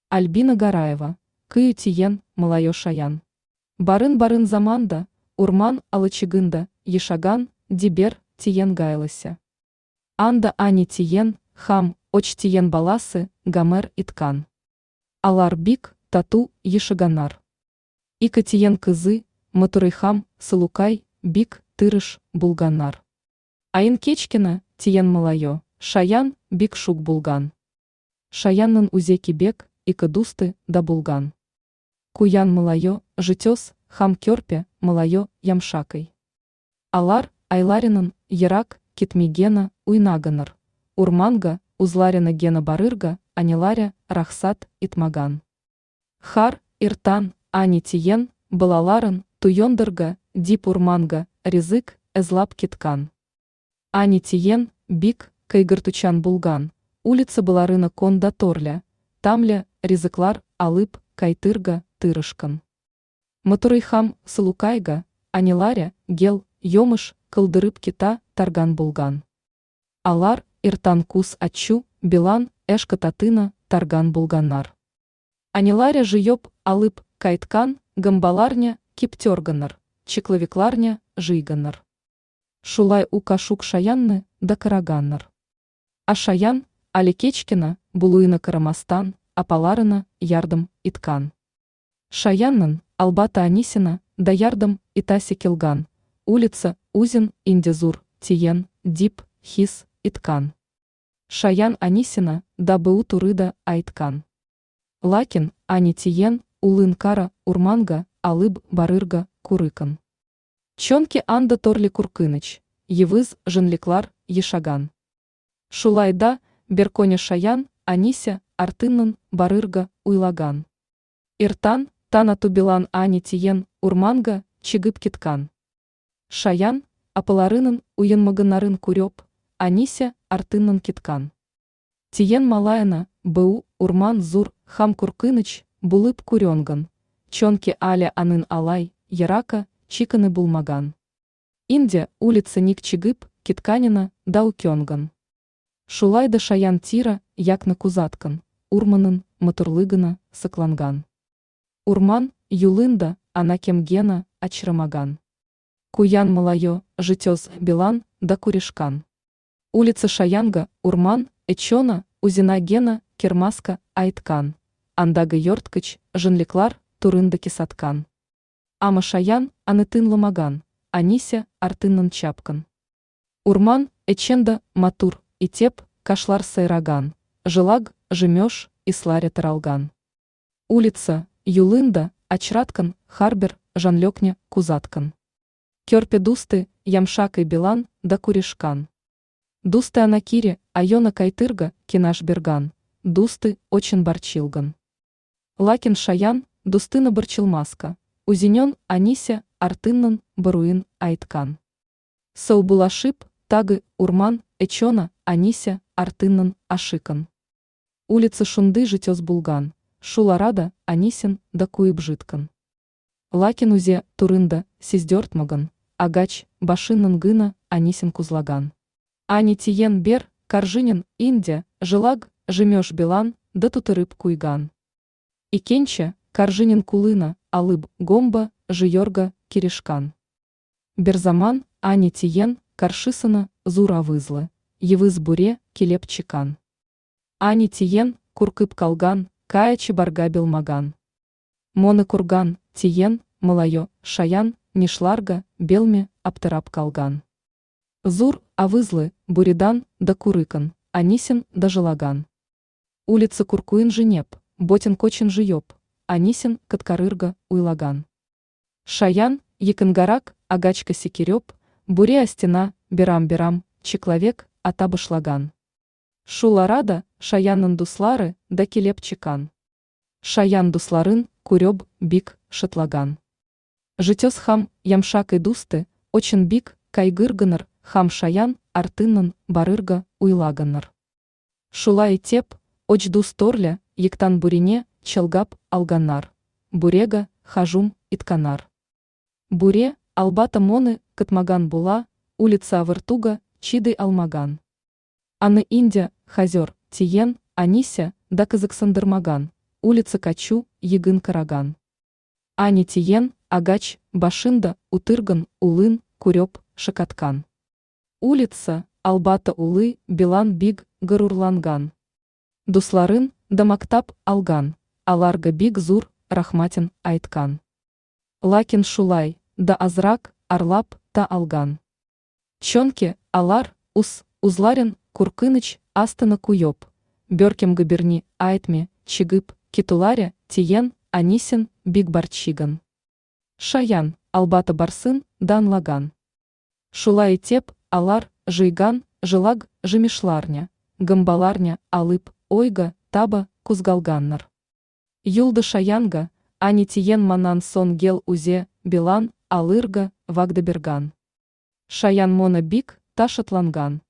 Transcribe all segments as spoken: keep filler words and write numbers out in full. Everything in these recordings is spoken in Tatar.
Альбина Гараева, кыю тиен, малайы шаян. Барын-барын заманда, урман алычыгында, ешаган, Дибер, тиен гайлыся. Анда ани тиен, хам, оч тиен баласы, гомер иткан. Алар бик, тату, ешаганнар. Ике тиен кызы, Матурай хам, Сылукай, бик, тырыш, булганнар. Аин кечкенә, тиен малае, Шаян, бик шук булган. Шаяннын узе кибек, ике дусты да булган. Куян малае, Житес, хам керпе, малае, Ямшакай. Алар, айларынын, ерак, китми гена, уйнаганнар. Урманга, узларена гена барырга, аниларе, рахсат, итмаган. Хар, иртан, ани тиен, балаларын, туендырга, дип урманга, ризык, эзлап киткан. Ани тиен, бик, кайгыртучан булган, улица баларына кон да торле, тамле, ризыклар, алып, кайтырга, тырышкан. Матурай хам, Сылукайга, аниларе, гел, йомыш, кылдырып кита, торган булган. Алар, иртан кус ачу, билан, эшка татына, торган булганнар. Аниларе жыеп, алып, кайткан, гамбаларня, киптерганнар, чекловикларня, жыйганнар. Шулай у кашук шаянны да караганнар. А шаян, али кечкена, булуына карамастан, апаларына, ярдым, иткан. Шаяннын, албата анисина, да ярдым, итаси килган, улица, узин, индезур, тиен, дип, хис, иткан. Шаян анисина, да быу турыда айткан. Лакин, ани тиен, улын кара, урманга, алыб, барырга, курыкан. Чонки анда торли куркыныч, евыз, жынликлар, ешаган. Шулайда, берконя шаян, анися, артыннын, барырга, уйлаган. Иртан, тана тубилан ани тиен, урманга, чыгып киткан. Шаян, апаларынын, уенмаганнарын куреп, анися, артыннын киткан. Тиен малайына, быу, урман зур, хам куркыныч, булып курёнган, чонки але анын алай, ерака, чиканы булмаган. Инде, улица ник чыгып, китканина, да укёнган. Шулай да шаян тира, якны кузаткан, урманын, матурлыгына, сокланган. Урман, юлында, ана кемгена, очрамаган. Куян малайы, житез, билан, да куришкан. Улица Шаянга, урман, эчона, узина гена, кермаска, айткан. Андагы йорткыч, жынликлар, турында кисаткан. Ама шаян, аны тынламаган, анися, артыннан чапкан. Урман, эченда, матур, итеп, кашлар сайраган, жилаг, жемеш, исларе таралган. Улица, юлында, очраткан, харбер, жанлекне, кузаткан. Керпе дусты, ямшак и билан, да куришкан. Дусты анакире, айона кайтырга, кинаш берган, дусты, очень барчилган. Лакин шаян, дустына барчилмаска, узинен, анися, артыннан, баруин, айткан. Саубулашип, тагы, урман, эчона, анися, артыннан, ашикан. Улица шунды житез булган, шуларада, анисин, да куып житкан. Лакин узе, турында, сиздертмаган, агач, башыннан гына, анисин кузлаган. Ани тиен бер, коржинин, инде, жилаг, жемеш билан, да тутырып куйган. Икенче, коржинин кулына, алыб, гомба, жиорга, киришкан. Берзаман, ани тиен, каршисына, зур авызлы, евыз буре, келеп чикан. Ани тиен, куркып калган, кая чебарга белмаган. Моны курган, тиен, малайо, шаян, нишларга, белме, аптырап калган. Зур, авызлы, буридан, да курыкан, анисин, да жилаган. Улица куркуин женеп, ботин кочин жиеп, анисин, каткарырга, уйлаган. Шаян, якынгарак, агачка секереп, буре астена, бирам-бирам, чекловек, атабышлаган. Шуларада, шаяннын дуслары, да келеп чикан. Шаян дусларын, куреб, бик, шытлаган. Житес хам, ямшак и дусты, очень бик, кайгырганыр, хам шаян, артыннан, барырга, уйлаганнар. Шулай итеп, оч дус торле, ектан бурине, чалгап, алганнар. Бурега, хажум, итканар. Буре, албата моны, кытмаган була, улица авыртуга, чидый алмаган. Аны инде, хазер, тиен, анися, да кызыксындырмаган, улица качу егын караган. Ани тиен, агач, башында, утырган, улын, куреп, шакаткан. Улица, албата улы, билан биг, горурланган. Дусларын да мактап алган, аларга бик зур рахматин айткан. Лакин шулай да азрак арлап та алган. Чонки алар уз узларин куркыныч астына куеп, беркемгә берни айтми чыгып китуларе тиен анисин бик борчыган. Шаян, албата барсын да анлаган. Шулай итеп, алар жыйган жилак жимишларны, гөмбаларны алып, ойга таба кузгалганнар. Юлда Шаянга, ани тиен моннан сон гел узе билан алырга вагда берган. Шаян мона бик та шатланган.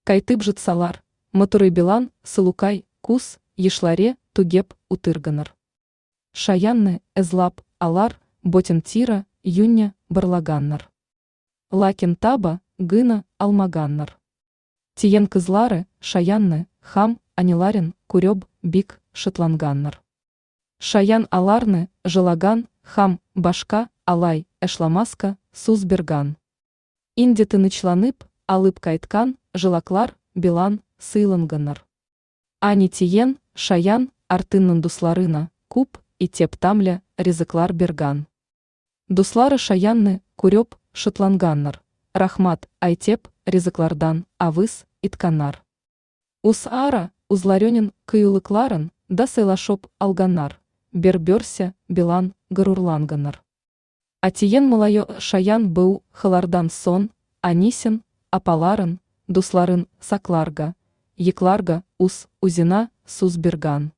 Кайтып житсалар, матурый билан сылукай кус ешларе тугеп утырганнар. Шаянны эзлап алар ботен тира юння барлаганнар. Лакин таба гына алмаганнар. Тиен кызлары Шаянны хам аниларин куреп бик шатланганнар. Шаян аларны жылаган хам башка алай эшламаска суз берган. Инде тынычланып алып кайткан жилаклар билан сыйланганнар. Ани тиен Шаян артыннан дусларына куп итеп тамле ризыклар берган. Дуслары Шаянны куреп шатланганнар, рахмат айтеп ризыклардан авыз итканнар. Уз ара узларенин кыюлыкларын да сыйлашып алганнар, бер-берсе билан горурланганнар. А тиен малае Шаян бу хылардан сон, анисин, апаларын, дусларын сакларга, якларга уз узена суз берган.